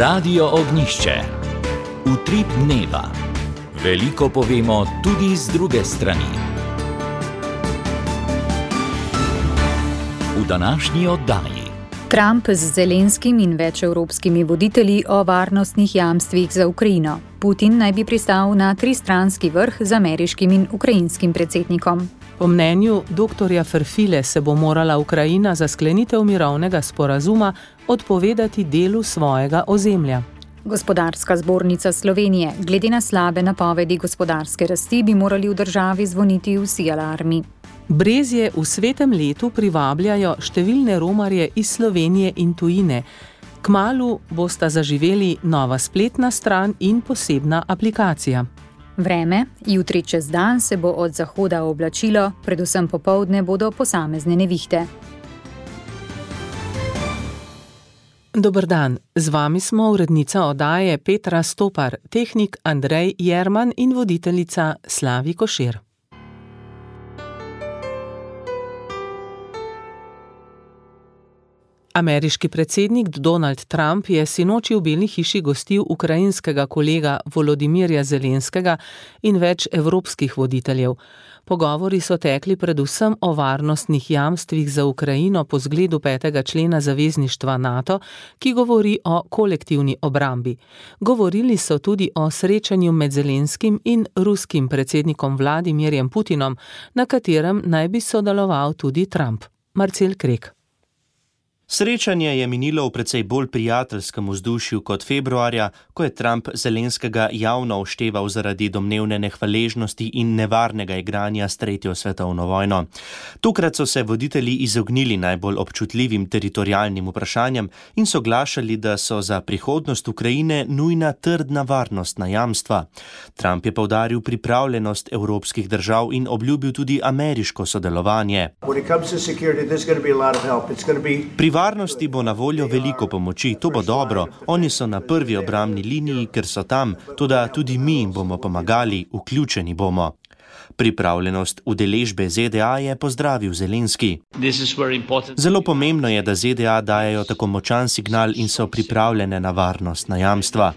Radio Ognjišče. Utrip dneva. Veliko povemo tudi z druge strani. V današnji oddaji. Trump z Zelenskim in več evropskimi voditelji o varnostnih jamstvih za Ukrajino. Putin naj bi pristal na tristranski vrh z ameriškim in ukrajinskim predsednikom. Po mnenju dr. Ferfile se bo morala Ukrajina za sklenitev mirovnega sporazuma odpovedati delu svojega ozemlja. Gospodarska zbornica Slovenije. Glede na slabe napovedi gospodarske rasti bi morali v državi zvoniti vsi alarmi. Brezje v svetem letu privabljajo številne romarje iz Slovenije in tujine. Kmalu bosta zaživeli nova spletna stran in posebna aplikacija. Vreme. Jutri čez dan se bo od zahoda oblačilo, predvsem popoldne bodo posamezne nevihte. Dober dan, z vami smo urednica oddaje Petra Stopar, tehnik Andrej Jerman in voditeljica Slavi Košir. Ameriški predsednik Donald Trump je sinoči v Beli hiši gostil ukrajinskega kolega Volodimirja Zelenskega in več evropskih voditeljev. Pogovori so tekli predvsem o varnostnih jamstvih za Ukrajino po zgledu 5. člena zavezništva NATO, ki govori o kolektivni obrambi. Govorili so tudi o srečanju med Zelenskim in ruskim predsednikom Vladimirjem Putinom, na katerem naj bi sodeloval tudi Trump. Marcel Krek. Srečanje je minilo v precej bolj prijateljskem vzdušju kot februarja, ko je Trump Zelenskega javno ošteval zaradi domnevne nehvaležnosti in nevarnega igranja s tretjo svetovno vojno. Tokrat so se voditelji izognili najbolj občutljivim teritorialnim vprašanjem in soglašali, da so za prihodnost Ukrajine nujna trdna varnostna jamstva. Trump je poudaril pripravljenost evropskih držav in obljubil tudi ameriško sodelovanje. Pri varnosti bo na voljo veliko pomoči, to bo dobro. Oni so na prvi obrambni liniji, ker so tam, toda tudi mi jim bomo pomagali, vključeni bomo. Pripravljenost udeležbe ZDA je pozdravil Zelenski. Zelo pomembno je, da ZDA dajejo tako močan signal in so pripravljene na varnostna jamstva.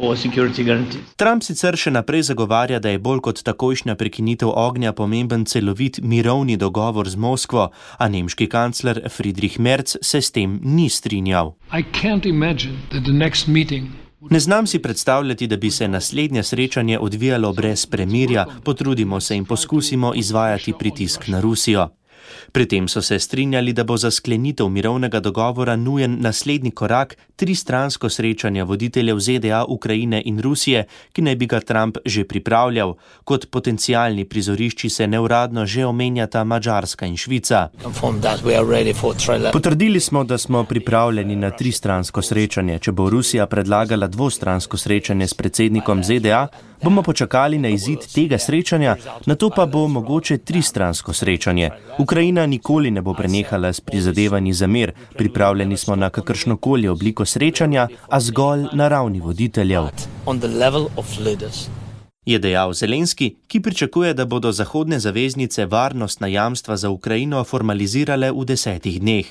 Trump sicer še naprej zagovarja, da je bolj kot takojšnja prekinitev ognja pomemben celovit mirovni dogovor z Moskvo, a nemški kancler Friedrich Merz se s tem ni strinjal. Ne znam si predstavljati, da bi se naslednje srečanje odvijalo brez premirja, potrudimo se in poskusimo izvajati pritisk na Rusijo. Pri tem so se strinjali, da bo za sklenitev mirovnega dogovora nujen naslednji korak, tristransko srečanje voditeljev ZDA, Ukrajine in Rusije, ki naj bi ga Trump že pripravljal. Kot potencialni prizorišči se neuradno že omenjata Madžarska in Švica. Potrdili smo, da smo pripravljeni na tristransko srečanje. Če bo Rusija predlagala dvostransko srečanje s predsednikom ZDA, bomo počakali na izid tega srečanja, nato pa bo mogoče tristransko srečanje. Ukrajina nikoli ne bo prenehala s prizadevanji za mir, pripravljeni smo na kakršnokoli obliko srečanja, a zgolj na ravni voditeljev. Je dejal Zelenski, ki pričakuje, da bodo zahodne zaveznice varnostna jamstva za Ukrajino formalizirale v 10 dneh.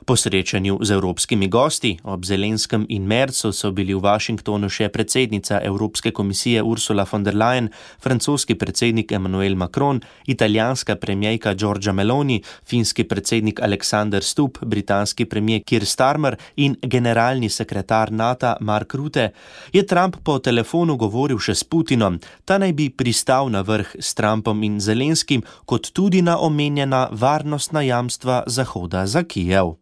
Po srečanju z evropskimi gosti ob Zelenskem in Merzu so bili v Washingtonu še predsednica Evropske komisije Ursula von der Leyen, francoski predsednik Emmanuel Macron, italijanska premierka Giorgia Meloni, finski predsednik Alexander Stubb, britanski premier Keir Starmer in generalni sekretar NATO Mark Rutte. Je Trump po telefonu govoril še s Putinom. Ta naj bi pristal na vrh s Trumpom in Zelenskim, kot tudi na omenjena varnostna jamstva Zahoda za Kijev.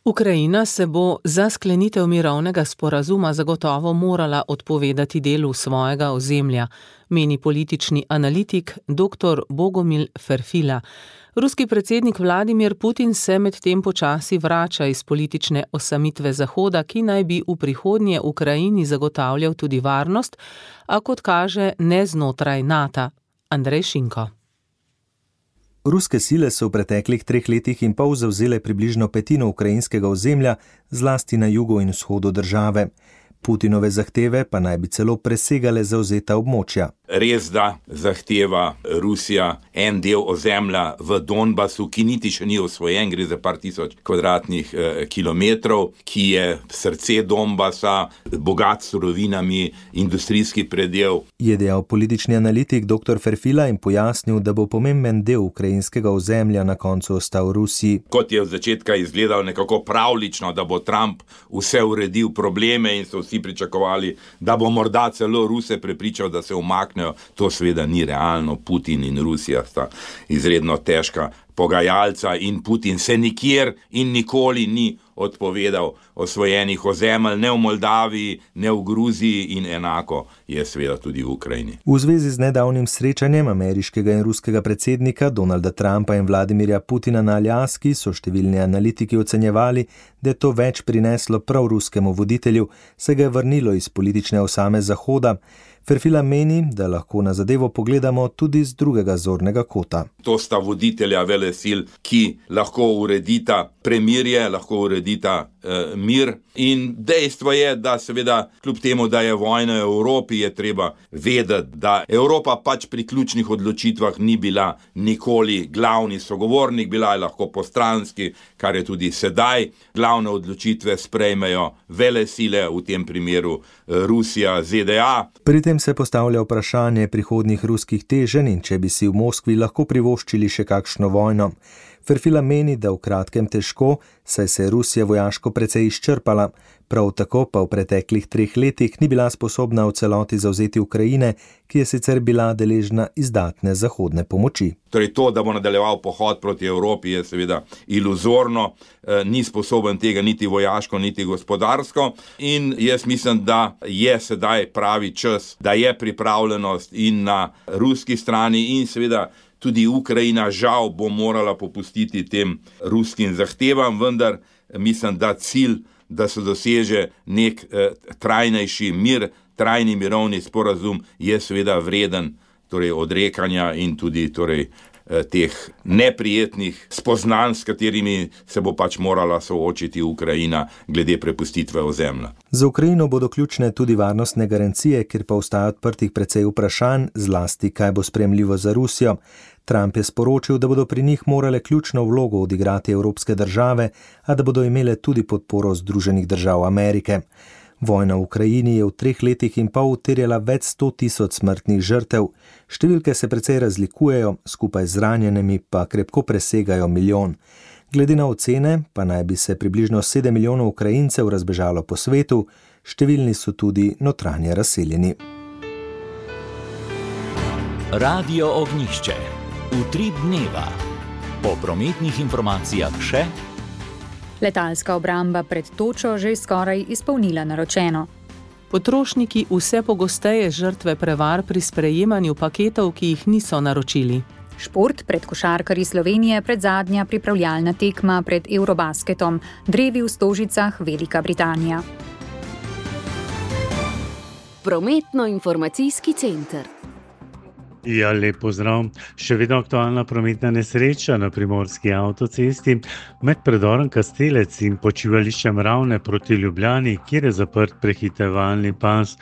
Ukrajina se bo za sklenitev mirovnega sporazuma zagotovo morala odpovedati delu svojega ozemlja, meni politični analitik dr. Bogomil Ferfila. Ruski predsednik Vladimir Putin se medtem počasi vrača iz politične osamitve Zahoda, ki naj bi v prihodnje Ukrajini zagotavljal tudi varnost, a kot kaže ne znotraj NATO. Andrej Šinko. Ruske sile so v preteklih 3 letih in pol zavzele približno petino ukrajinskega ozemlja, zlasti na jugu in vzhodu države. Putinove zahteve pa naj bi celo presegale zavzeta območja. Res da zahteva Rusija en del ozemlja v Donbasu, ki niti še ni osvojen, gre za par tisoč kvadratnih kilometrov, ki je srce Donbasa, bogat s surovinami, industrijski predel. Je dejal politični analitik dr. Ferfila in pojasnil, da bo pomemben del ukrajinskega ozemlja na koncu ostal Rusiji. Kot je od začetka izgledal nekako pravlično, da bo Trump vse uredil probleme in so vsi pričakovali, da bo morda celo Ruse prepričal, da se umakne. To seveda ni realno. Putin in Rusija sta izredno težka pogajalca in Putin se nikjer in nikoli ni odpovedal osvojenih ozemelj, ne v Moldaviji, ne v Gruziji in enako je seveda tudi v Ukrajini. V zvezi z nedavnim srečanjem ameriškega in ruskega predsednika Donalda Trumpa in Vladimirja Putina na Aljaski so številni analitiki ocenjevali, da je to več prineslo prav ruskemu voditelju, se ga je vrnilo iz politične osame Zahoda. Ferfila meni, da lahko na zadevo pogledamo tudi z drugega zornega kota. To sta voditelja velesil, ki lahko uredita premirje, lahko uredita mir. In dejstvo je, da seveda kljub temu, da je vojna v Evropi, je treba vedeti, da Evropa pač pri ključnih odločitvah ni bila nikoli glavni sogovornik, bila je lahko postranski, kar je tudi sedaj. Glavne odločitve sprejmejo velesile, v tem primeru Rusija, ZDA. Pri tem se postavlja vprašanje prihodnjih ruskih teženj in če bi si v Moskvi lahko privoščili še kakšno vojno. Ferfila meni, da v kratkem težko, saj se je Rusija vojaško precej izčrpala, prav tako pa v preteklih 3 letih ni bila sposobna v celoti zavzeti Ukrajine, ki je sicer bila deležna izdatne zahodne pomoči. Torej to, da bo nadaljeval pohod proti Evropi, je seveda iluzorno, ni sposoben tega niti vojaško, niti gospodarsko in jaz mislim, da je sedaj pravi čas, da je pripravljenost in na ruski strani in seveda tudi Ukrajina žal bo morala popustiti tem ruskim zahtevam, vendar mislim, da cilj, da se doseže nek trajnejši mir, trajni mirovni sporazum je seveda vreden odrekanja in tudi teh neprijetnih spoznanj, s katerimi se bo pač morala soočiti Ukrajina glede prepustitve ozemlja. Za Ukrajino bodo ključne tudi varnostne garancije, kjer pa ostaja odprtih precej vprašanj, zlasti kaj bo sprejemljivo za Rusijo. Trump je sporočil, da bodo pri njih morale ključno vlogo odigrati evropske države, a da bodo imele tudi podporo Združenih držav Amerike. Vojna v Ukrajini je v 3 letih in pol terjala več 100.000 smrtnih žrtev. Številke se precej razlikujejo, skupaj z ranjenimi pa krepko presegajo 1 milijon. Glede na ocene pa naj bi se približno 7 milijonov Ukrajincev razbežalo po svetu, številni so tudi notranje razseljeni. Radio Ognjišče. Utrip dneva. Po prometnih informacijah še. Letalska obramba pred točo že skoraj izpolnila naročeno. Potrošniki vse pogosteje žrtve prevar pri sprejemanju paketov, ki jih niso naročili. Šport pred košarkarji Slovenije predzadnja pripravljalna tekma pred Eurobasketom, drevi v Stožicah, Velika Britanija. Prometno-informacijski center. Ja, lep pozdrav. Še vedno aktualna prometna nesreča na primorski avtocesti med predorom Kastelec in počivališčem Ravne proti Ljubljani, kjer je zaprt prehitevalni pas.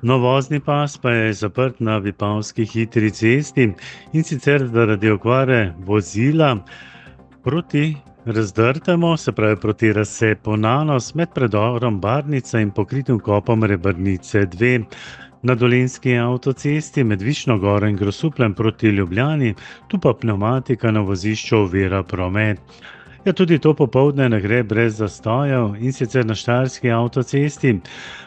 Vozni pas pa je zaprt na Vipavski hitri cesti in sicer zaradi okvare vozila proti razdrtemu, se pravi proti razcepu Nanos med predorom Barnica in pokritim kopom Rebrnice 2. Na Dolenjski avtocesti med Višnjo Goro in Grosupljem proti Ljubljani, tu pa pneumatika na vozišču ovira promet. Ja, tudi to popoldne ne gre brez zastojev in sicer na Štajerski avtocesti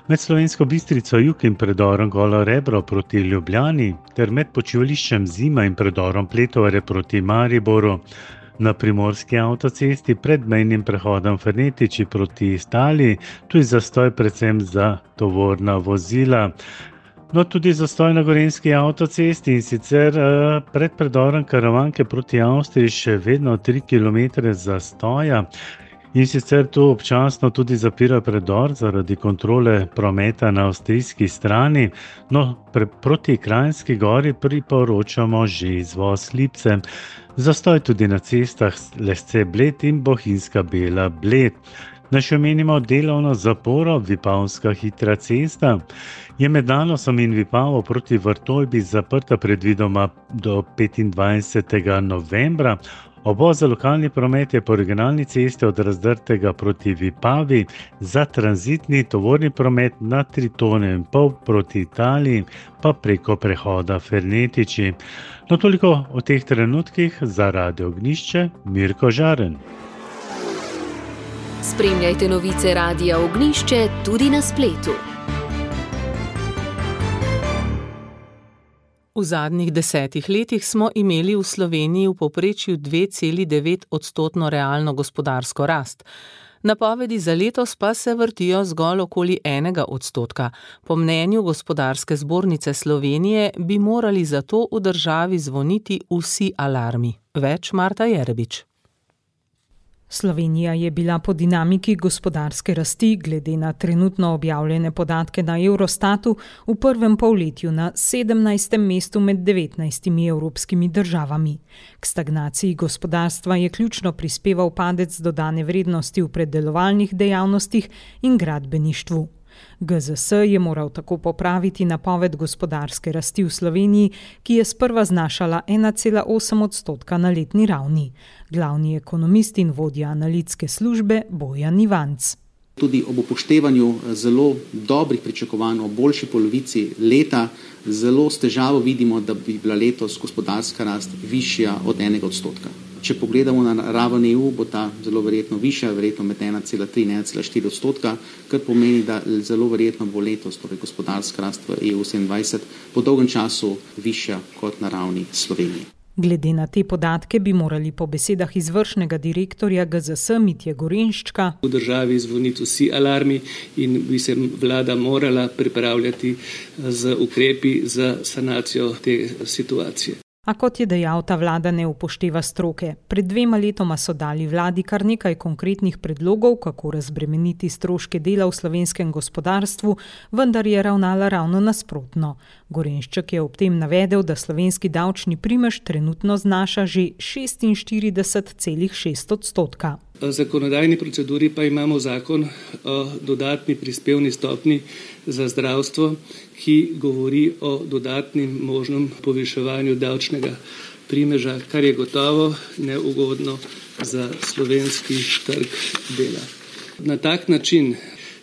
med Slovensko Bistrico jug in predorom Golo Rebro proti Ljubljani ter med počivališčem Zima in predorom Pletovare proti Mariboru. Na primorski avtocesti pred mejnim prehodom Fernetiči proti Italiji, tu je zastoj predvsem za tovorna vozila. No, tudi zastoj na Gorenjski avtocesti in sicer pred predorom Karavanke proti Avstriji še vedno 3 km zastoja in sicer tu občasno tudi zapira predor zaradi kontrole prometa na avstrijski strani. No, proti Kranjski gori priporočamo že izvoz Lipce. Zastoj tudi na cestah Lesce Bled in Bohinjska Bela Bled. Naj še omenimo delovno zaporo Vipavska hitra cesta. Je med Danosom in Vipavo proti Vrtojbi zaprta predvidoma do 25. novembra. Obvoz za lokalni promet je po regionalni cesti od Razdrtega proti Vipavi, za tranzitni tovorni promet na 3,5 tone proti Italiji, pa preko prehoda Fernetiči. No, toliko o teh trenutkih. Za Radio Ognjišče, Mirko Žaren. Spremljajte novice Radia Ognjišče tudi na spletu. V zadnjih 10 letih smo imeli v Sloveniji v povprečju 2,9% realno gospodarsko rast. Napovedi za letos pa se vrtijo zgolj okoli 1%. Po mnenju Gospodarske zbornice Slovenije bi morali zato v državi zvoniti vsi alarmi. Več Marta Jerebič. Slovenija je bila po dinamiki gospodarske rasti glede na trenutno objavljene podatke na Eurostatu v prvem polletju na 17. mestu med 19 evropskimi državami. K stagnaciji gospodarstva je ključno prispeval padec dodane vrednosti v predelovalnih dejavnostih in gradbeništvu. GZS je moral tako popraviti napoved gospodarske rasti v Sloveniji, ki je sprva znašala 1,8% na letni ravni. Glavni ekonomist in vodja analitske službe Bojan Ivanc. Tudi ob upoštevanju zelo dobrih pričakovanj o boljši polovici leta, zelo s težavo vidimo, da bi bila letos gospodarska rast višja od 1%. Če pogledamo na raven EU, bo ta zelo verjetno višja, verjetno med 1,3 in 1,4%, kar pomeni, da zelo verjetno bo letos torej gospodarska rast v EU 27 po dolgem času višja kot na ravni Slovenije. Glede na te podatke bi morali po besedah izvršnega direktorja GZS Mitje Gorenščka v državi zvoniti vsi alarmi in bi se vlada morala pripravljati z ukrepi za sanacijo te situacije. A kot je dejal, ta vlada ne upošteva stroke. Pred 2 letoma so dali vladi kar nekaj konkretnih predlogov, kako razbremeniti stroške dela v slovenskem gospodarstvu, vendar je ravnala ravno nasprotno. Gorenšček je ob tem navedel, da slovenski davčni primež trenutno znaša že 46,6%. V zakonodajni proceduri pa imamo zakon o dodatni prispevni stopnji za zdravstvo, ki govori o dodatnim možnem poviševanju davčnega primeža, kar je gotovo neugodno za slovenski trg dela. Na tak način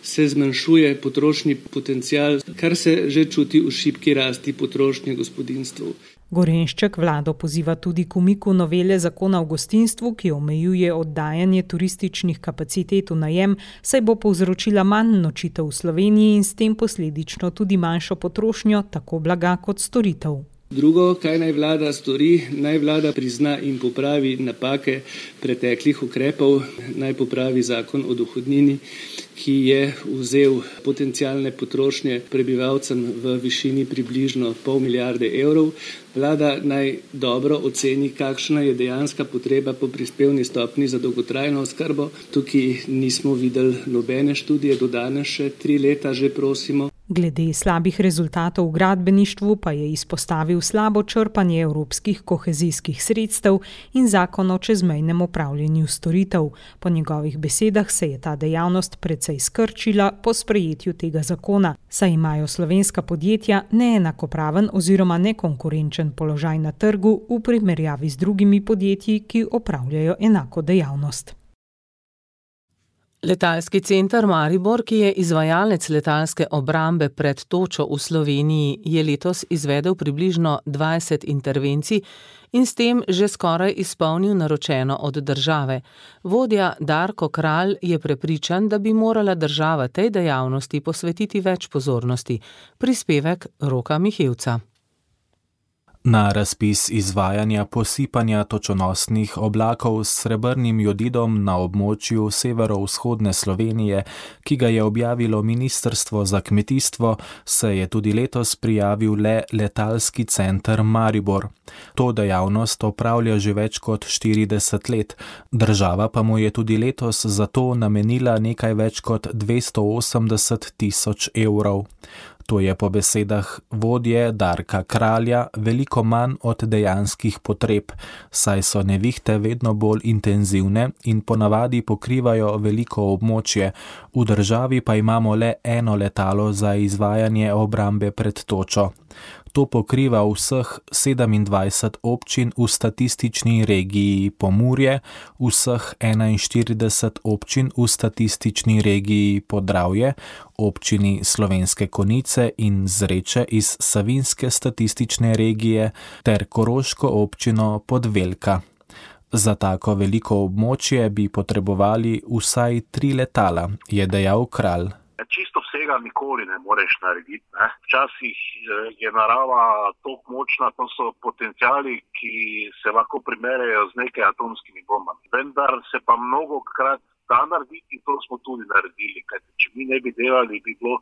se zmanjšuje potrošnji potencial, kar se že čuti v šibki rasti potrošnje gospodinjstv. Gorenšček vlado poziva tudi k umiku novele zakona o gostinstvu, ki omejuje oddajanje turističnih kapacitet v najem, saj bo povzročila manj nočitev v Sloveniji in s tem posledično tudi manjšo potrošnjo tako blaga kot storitev. Drugo, kaj naj vlada stori, naj vlada prizna in popravi napake preteklih ukrepov, naj popravi zakon o dohodnini, ki je vzel potencialne potrošnje prebivalcem v višini približno 0,5 milijarde evrov. Vlada naj dobro oceni, kakšna je dejanska potreba po prispevni stopni za dolgotrajno oskrbo. Tukaj nismo videli nobene študije, do danes še 3 leta že prosimo. Glede slabih rezultatov v gradbeništvu pa je izpostavil slabo črpanje evropskih kohezijskih sredstev in zakon o čezmejnem upravljanju storitev. Po njegovih besedah se je ta dejavnost precej skrčila po sprejetju tega zakona, saj imajo slovenska podjetja neenakopraven oziroma nekonkurenčen položaj na trgu v primerjavi z drugimi podjetji, ki opravljajo enako dejavnost. Letalski center Maribor, ki je izvajalec letalske obrambe pred točo v Sloveniji, je letos izvedel približno 20 intervencij in s tem že skoraj izpolnil naročeno od države. Vodja Darko Kralj je prepričan, da bi morala država tej dejavnosti posvetiti več pozornosti. Prispevek Roka Mihevca. Na razpis izvajanja posipanja točonosnih oblakov s srebrnim jodidom na območju severovzhodne Slovenije, ki ga je objavilo Ministrstvo za kmetijstvo, se je tudi letos prijavil le letalski center Maribor. To dejavnost opravlja že več kot 40 let, država pa mu je tudi letos za to namenila nekaj več kot 280 tisoč evrov. To je po besedah vodje Darka Kralja veliko manj od dejanskih potreb, saj so nevihte vedno bolj intenzivne in ponavadi pokrivajo veliko območje, v državi pa imamo le eno letalo za izvajanje obrambe pred točo. To pokriva vseh 27 občin v statistični regiji Pomurje, vseh 41 občin v statistični regiji Podravje, občini Slovenske Konjice in Zreče iz Savinjske statistične regije ter koroško občino Podvelka. Za tako veliko območje bi potrebovali vsaj 3 letala, je dejal Kralj. Čisto vsega nikoli ne moreš narediti. Včasih je narava toliko močna, to so potenciali, ki se lahko primerjajo z nekaj atomskimi bombami. Vendar se pa mnogokrat da narediti in to smo tudi naredili. Kajti, če mi ne bi delali, bi bilo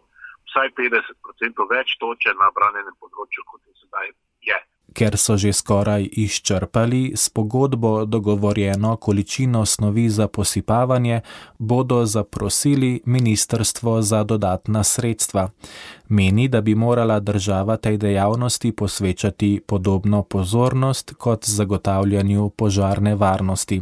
vsaj 50% več toče na branjenem področju, kot je sedaj je. Ker so že skoraj izčrpali s pogodbo dogovorjeno količino snovi za posipavanje, bodo zaprosili ministrstvo za dodatna sredstva. Meni, da bi morala država tej dejavnosti posvečati podobno pozornost kot zagotavljanju požarne varnosti.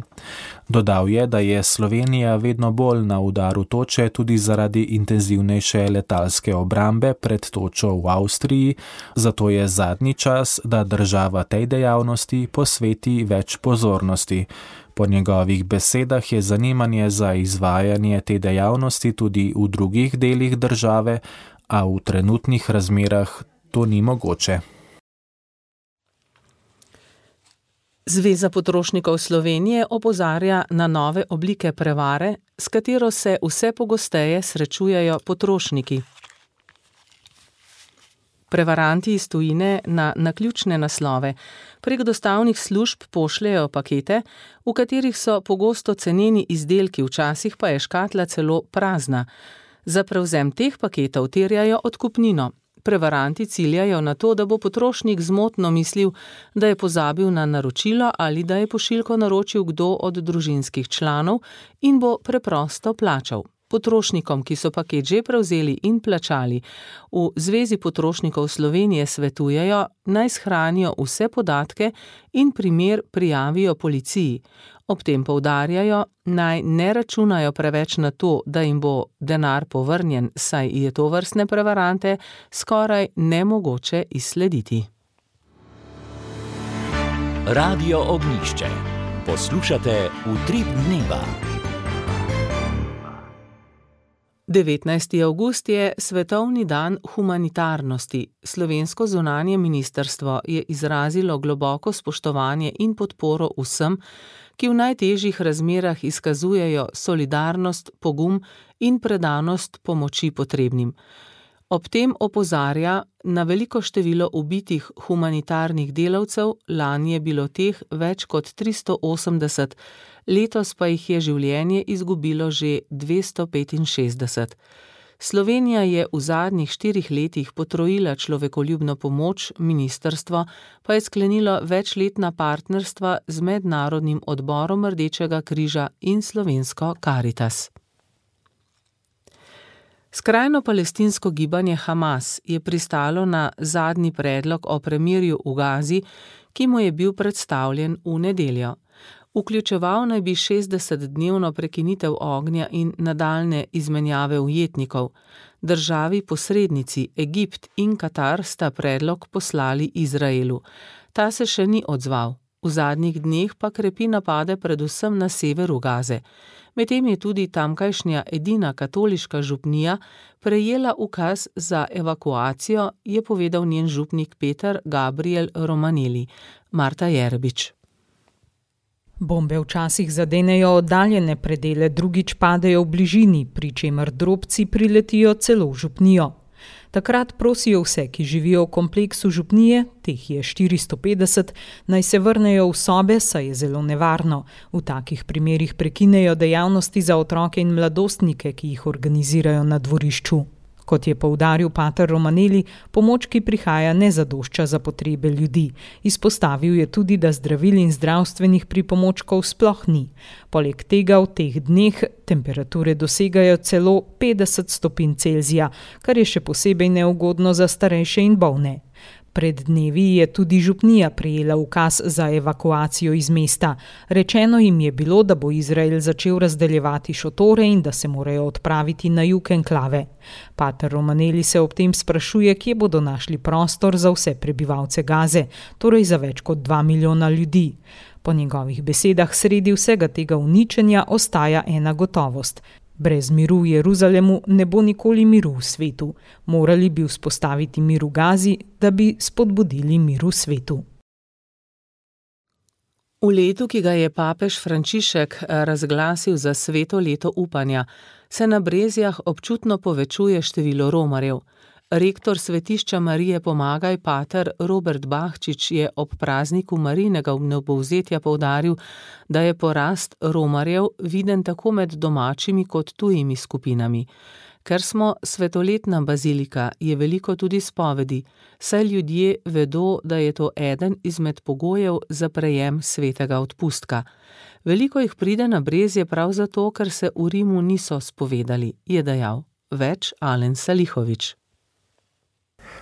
Dodal je, da je Slovenija vedno bolj na udaru toče tudi zaradi intenzivnejše letalske obrambe pred točo v Avstriji, zato je zadnji čas, da država tej dejavnosti posveti več pozornosti. Po njegovih besedah je zanimanje za izvajanje te dejavnosti tudi v drugih delih države, a v trenutnih razmerah to ni mogoče. Zveza potrošnikov Slovenije opozarja na nove oblike prevare, s katero se vse pogosteje srečujejo potrošniki. Prevaranti iz tujine na naključne naslove prek dostavnih služb pošljejo pakete, v katerih so pogosto ceneni izdelki, včasih pa je škatla celo prazna. Za prevzem teh paketov terjajo odkupnino. Prevaranti ciljajo na to, da bo potrošnik zmotno mislil, da je pozabil na naročilo ali da je pošiljko naročil kdo od družinskih članov in bo preprosto plačal. Potrošnikom, ki so paket že prevzeli in plačali, v Zvezi potrošnikov Slovenije svetujejo, naj shranijo vse podatke in primer prijavijo policiji. Ob tem poudarjajo, naj ne računajo preveč na to, da jim bo denar povrnjen, saj je tovrstne prevarante skoraj nemogoče izslediti. Radio Ognjišče. Poslušate Utrip dneva. 19. avgust je svetovni dan humanitarnosti. Slovensko zunanje ministrstvo je izrazilo globoko spoštovanje in podporo vsem, ki v najtežjih razmerah izkazujejo solidarnost, pogum in predanost pomoči potrebnim. Ob tem opozarja na veliko število ubitih humanitarnih delavcev, lani je bilo teh več kot 380, letos pa jih je življenje izgubilo že 265. Slovenija je v zadnjih 4 letih potrojila človekoljubno pomoč, ministrstvo pa je sklenilo večletna partnerstva z Mednarodnim odborom Rdečega križa in slovensko Karitas. Skrajno palestinsko gibanje Hamas je pristalo na zadnji predlog o premirju v Gazi, ki mu je bil predstavljen v nedeljo. Vključeval naj bi 60-dnevno prekinitev ognja in nadaljne izmenjave ujetnikov. Državi posrednici Egipt in Katar sta predlog poslali Izraelu. Ta se še ni odzval. V zadnjih dneh pa krepi napade predvsem na severu Gaze. Medtem je tudi tamkajšnja edina katoliška župnija prejela ukaz za evakuacijo, je povedal njen župnik Peter Gabriel Romaneli. Marta Jerebič. Bombe včasih zadenejo oddaljene predele, drugič padejo v bližini, pri čemer drobci priletijo celo v župnijo. Takrat prosijo vse, ki živijo v kompleksu župnije, teh je 450, naj se vrnejo v sobe, saj je zelo nevarno. V takih primerih prekinejo dejavnosti za otroke in mladostnike, ki jih organizirajo na dvorišču. Kot je poudaril pater Romanelli, pomoč, ki prihaja, ne zadošča za potrebe ljudi. Izpostavil je tudi, da zdravil in zdravstvenih pripomočkov sploh ni. Poleg tega v teh dneh temperature dosegajo celo 50 stopinj Celzija, kar je še posebej neugodno za starejše in bolne. Pred dnevi je tudi župnija prejela ukaz za evakuacijo iz mesta. Rečeno jim je bilo, da bo Izrael začel razdeljevati šotore in da se morajo odpraviti na jug enklave. Pater Romanelli se ob tem sprašuje, kje bodo našli prostor za vse prebivalce Gaze, torej za več kot 2 milijona ljudi. Po njegovih besedah sredi vsega tega uničenja ostaja ena gotovost. Brez miru v Jeruzalemu ne bo nikoli miru v svetu. Morali bi vzpostaviti mir v Gazi, da bi spodbudili mir v svetu. V letu, ki ga je papež Frančišek razglasil za sveto leto upanja, se na Brezjah občutno povečuje število romarjev. Rektor svetišča Marije Pomagaj, pater Robert Bahčič, je ob prazniku Marijinega vnebovzetja poudaril, da je porast romarjev viden tako med domačimi kot tujimi skupinami. Ker smo svetoletna bazilika, je veliko tudi spovedi, saj ljudje vedo, da je to eden izmed pogojev za prejem svetega odpustka. Veliko jih pride na Brezje prav zato, ker se v Rimu niso spovedali, je dejal. Več Alen Salihovič.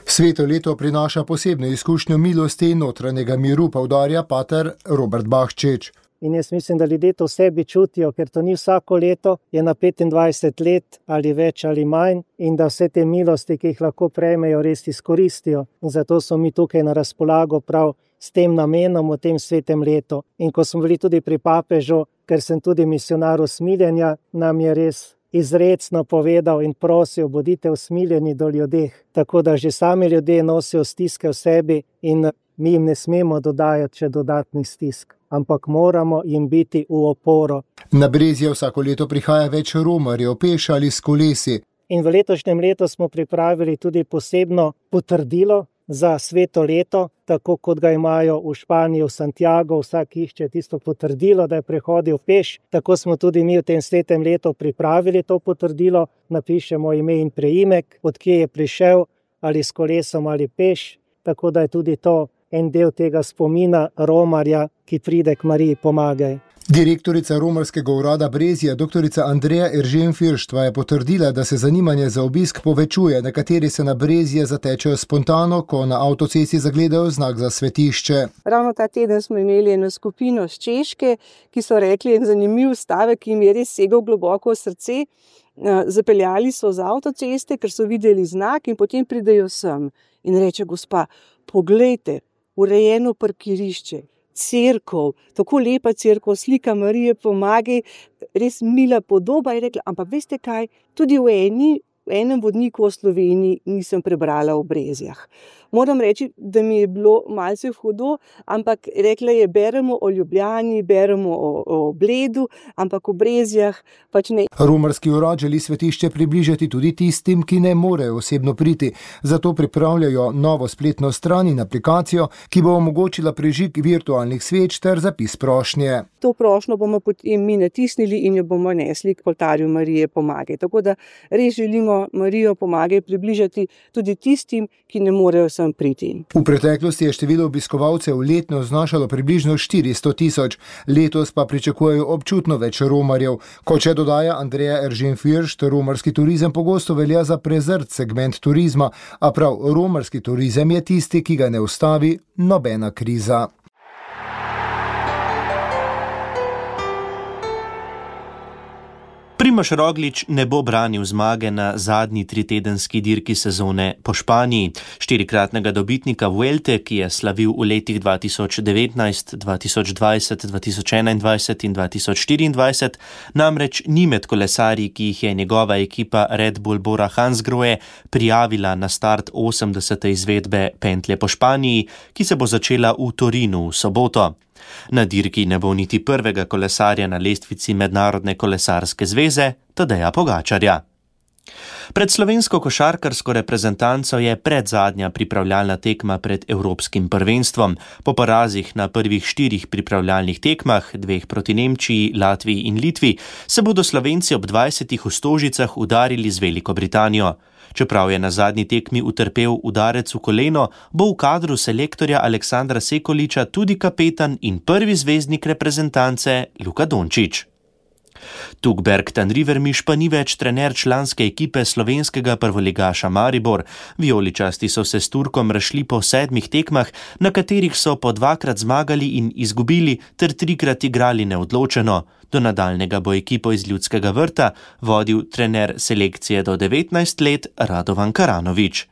Sveto leto prinaša posebno izkušnjo milosti in notranjega miru, poudarja pater Robert Bahčič. In jaz mislim, da ljudje to v sebi čutijo, ker to ni vsako leto, je na 25 let ali več ali manj in da vse te milosti, ki jih lahko prejmejo, res izkoristijo. In zato smo mi tukaj na razpolago prav s tem namenom v tem svetem letu. In ko smo bili tudi pri papežu, ker sem tudi misionar usmiljenja, nam je res izrecno povedal in prosil, bodite usmiljeni do ljudeh. Tako da že sami ljudje nosijo stiske v sebi in mi jim ne smemo dodajati še dodatnih stisk, ampak moramo jim biti v oporo. Na Brezje vsako leto prihaja več romarjev, peš ali s kolesi. In v letošnjem letu smo pripravili tudi posebno potrdilo za sveto leto, tako kot ga imajo v Španiji, v Santiago, vsak išče tisto potrdilo, da je prehodil peš. Tako smo tudi mi v tem svetem letu pripravili to potrdilo, napišemo ime in preimek, od kje je prišel, ali s kolesom ali peš, tako da je tudi to en del tega spomina romarja, ki pride k Mariji Pomagaj. Direktorica romarskega urada Brezja, doktorica Andreja Eržen-Firštva, je potrdila, da se zanimanje za obisk povečuje. Nekateri se na Brezje zatečejo spontano, ko na avtocesti zagledajo znak za svetišče. Ravno ta teden smo imeli eno skupino z Češke, ki so rekli en zanimiv stavek, ki jim je res segal globoko v srce. Zapeljali so z avtoceste, ker so videli znak in potem pridejo sem. In reče gospa, poglejte, urejeno parkirišče. Cerkev, tako lepa cerkev, slika Marije Pomagaj, res mila podoba, je rekla, ampak veste kaj, tudi v enem vodniku o Sloveniji nisem prebrala o Brezjah. Moram reči, da mi je bilo malce hudo, ampak rekla je, beremo o Ljubljani, beremo o Bledu, ampak o Brezjah pač ne. Romarski urad želi svetišče približati tudi tistim, ki ne morejo osebno priti. Zato pripravljajo novo spletno stran in aplikacijo, ki bo omogočila prižig virtualnih sveč ter zapis prošnje. To prošnjo bomo potem mi natisnili in jo bomo nesli k oltarju Marije Pomagaj. Tako da res želimo Marijo Pomagaj približati tudi tistim, ki ne morejo sem priti. V preteklosti je število obiskovalcev letno znašalo približno 400 000, letos pa pričakujejo občutno več romarjev. Kot še dodaja Andreja Eržen-Firšt, romarski turizem pogosto velja za prezrt segment turizma, a prav romarski turizem je tisti, ki ga ne ustavi nobena kriza. Primož Roglič ne bo branil zmage na zadnji tritedenski dirki sezone po Španiji. 4-kratnega dobitnika Vuelte, ki je slavil v letih 2019, 2020, 2021 in 2024, namreč ni med kolesarji, ki jih je njegova ekipa Red Bull Bora Hansgrohe prijavila na start 80. izvedbe pentlje po Španiji, ki se bo začela v Torinu v soboto. Na dirki ne bo niti prvega kolesarja na lestvici Mednarodne kolesarske zveze, Tadeja Pogačarja. Pred slovensko košarkarsko reprezentanco je predzadnja pripravljalna tekma pred Evropskim prvenstvom. Po porazih na prvih 4 pripravljalnih tekmah, 2 proti Nemčiji, Latviji in Litvi, se bodo Slovenci ob 20 v Stožicah udarili z Veliko Britanijo. Čeprav je na zadnji tekmi utrpel udarec v koleno, bo v kadru selektorja Aleksandra Sekoliča tudi kapetan in prvi zvezdnik reprezentance Luka Dončić. Tugberg Tanrivermiš pa ni več trener članske ekipe slovenskega prvoligaša Maribor. Vijoličasti so se s Turkom razšli po 7 tekmah, na katerih so po 2-krat zmagali in izgubili ter 3-krat igrali neodločeno. Do nadaljnega bo ekipo iz Ljudskega vrta vodil trener selekcije do 19 let Radovan Karanović.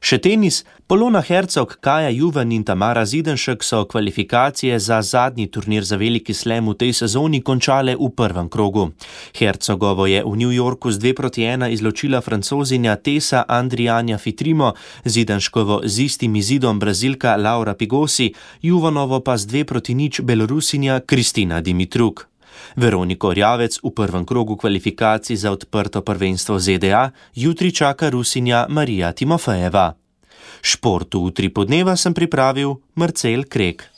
Še tenis. Polona Hercog, Kaja Juvan in Tamara Zidenšek so kvalifikacije za zadnji turnir za veliki slam v tej sezoni končale v prvem krogu. Hercogovo je v New Yorku z 2-1 izločila Francozinja Tessa Andrianja Fitrimo, Zidenškovo z istim izidom Brazilka Laura Pigosi, Juvanovo pa z 2-0 Belorusinja Kristina Dimitruk. Veroniko Rjavec v prvem krogu kvalifikacij za odprto prvenstvo ZDA jutri čaka Rusinja Marija Timofejeva. Športu Utri podneva sem pripravil Marcel Krek.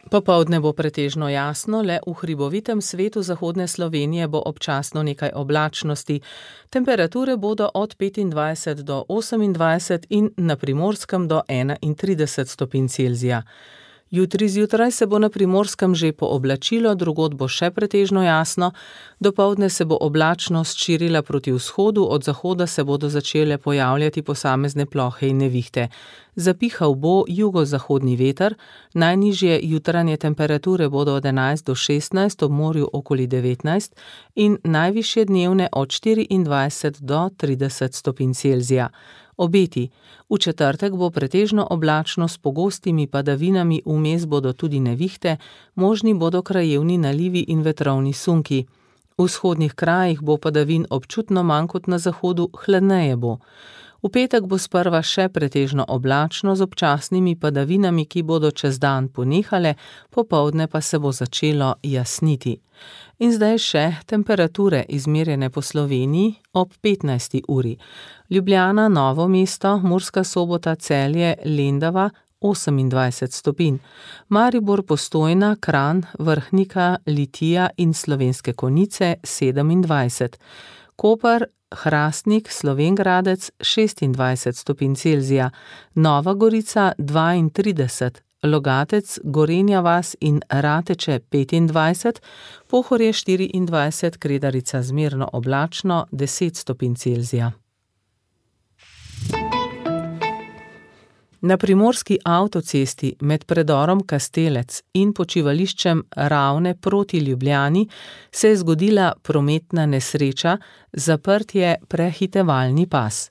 Popoldne bo pretežno jasno, le v hribovitem svetu zahodne Slovenije bo občasno nekaj oblačnosti. Temperature bodo od 25 do 28 in na Primorskem do 31 stopinj Celzija. Jutri zjutraj se bo na Primorskem že pooblačilo, drugod bo še pretežno jasno. Dopoldne se bo oblačnost širila proti vzhodu, od zahoda se bodo začele pojavljati posamezne plohe in nevihte. Zapihal bo jugozahodni veter, najnižje jutranje temperature bodo od 11 do 16, ob morju okoli 19 in najvišje dnevne od 24 do 30 stopinj Celzija. Obeti. V četrtek bo pretežno oblačno s pogostimi padavinami, vmes bodo tudi nevihte, možni bodo krajevni nalivi in vetrovni sunki. V vzhodnih krajih bo padavin občutno manj kot na zahodu, hladneje bo. V petek bo sprva še pretežno oblačno z občasnimi padavinami, ki bodo čez dan ponehale, popoldne pa se bo začelo jasniti. In zdaj še temperature izmerjene po Sloveniji ob 15. uri. Ljubljana, Novo mesto, Murska Sobota, Celje, Lendava 28 stopinj. Maribor, Postojna, Kranj, Vrhnika, Litija in Slovenske Konjice 27. Koper, Hrastnik, Slovenj Gradec 26 stopinj Celzija. Nova Gorica 32. Logatec, Gorenja vas in Rateče 25, Pohorje 24, Kredarica zmerno oblačno 10 stopinj Celzija. Na primorski avtocesti med predorom Kastelec in počivališčem Ravne proti Ljubljani se je zgodila prometna nesreča, zaprt je prehitevalni pas.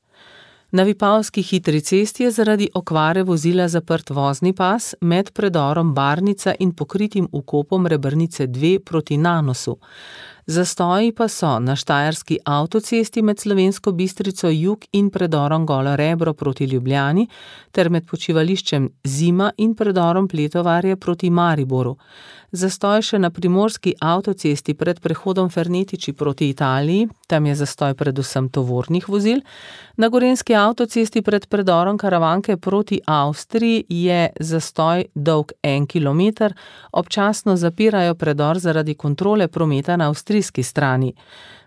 Na Vipavski hitri cesti je zaradi okvare vozila zaprt vozni pas med predorom Barnica in pokritim vkopom Rebrnice 2 proti Nanosu. Zastoji pa so na štajerski avtocesti med Slovensko Bistrico jug in predorom Golo Rebro proti Ljubljani ter med počivališčem Zima in predorom Pletovarje proti Mariboru. Zastoj še na primorski avtocesti pred prehodom Fernetiči proti Italiji, tam je zastoj predvsem tovornih vozil. Na gorenjski avtocesti pred predorom Karavanke proti Avstriji je zastoj dolg 1 kilometer, občasno zapirajo predor zaradi kontrole prometa na avstrijski strani.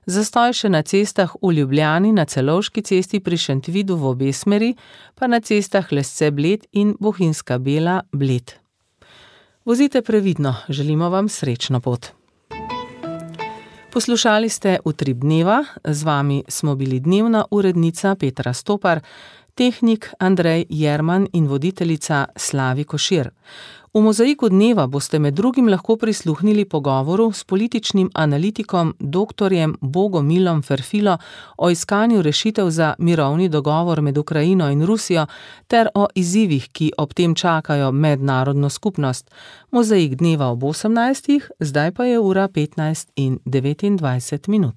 Zastoj še na cestah v Ljubljani, na Celovški cesti pri Šentvidu v obe smeri, pa na cestah Lesce Bled in Bohinjska Bela Bled. Vozite previdno, želimo vam srečno pot. Poslušali ste Utrip dneva, z vami smo bili dnevna urednica Petra Stopar, tehnik Andrej Jerman in voditeljica Slavi Košir. V Mozaiku dneva boste med drugim lahko prisluhnili pogovoru s političnim analitikom dr. Bogomilom Ferfilo o iskanju rešitev za mirovni dogovor med Ukrajino in Rusijo ter o izzivih, ki ob tem čakajo mednarodno skupnost. Mozaik dneva ob 18, zdaj pa je ura 15:29.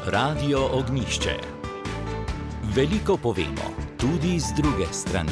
Radio Ognjišče. Veliko povemo, tudi z druge strani.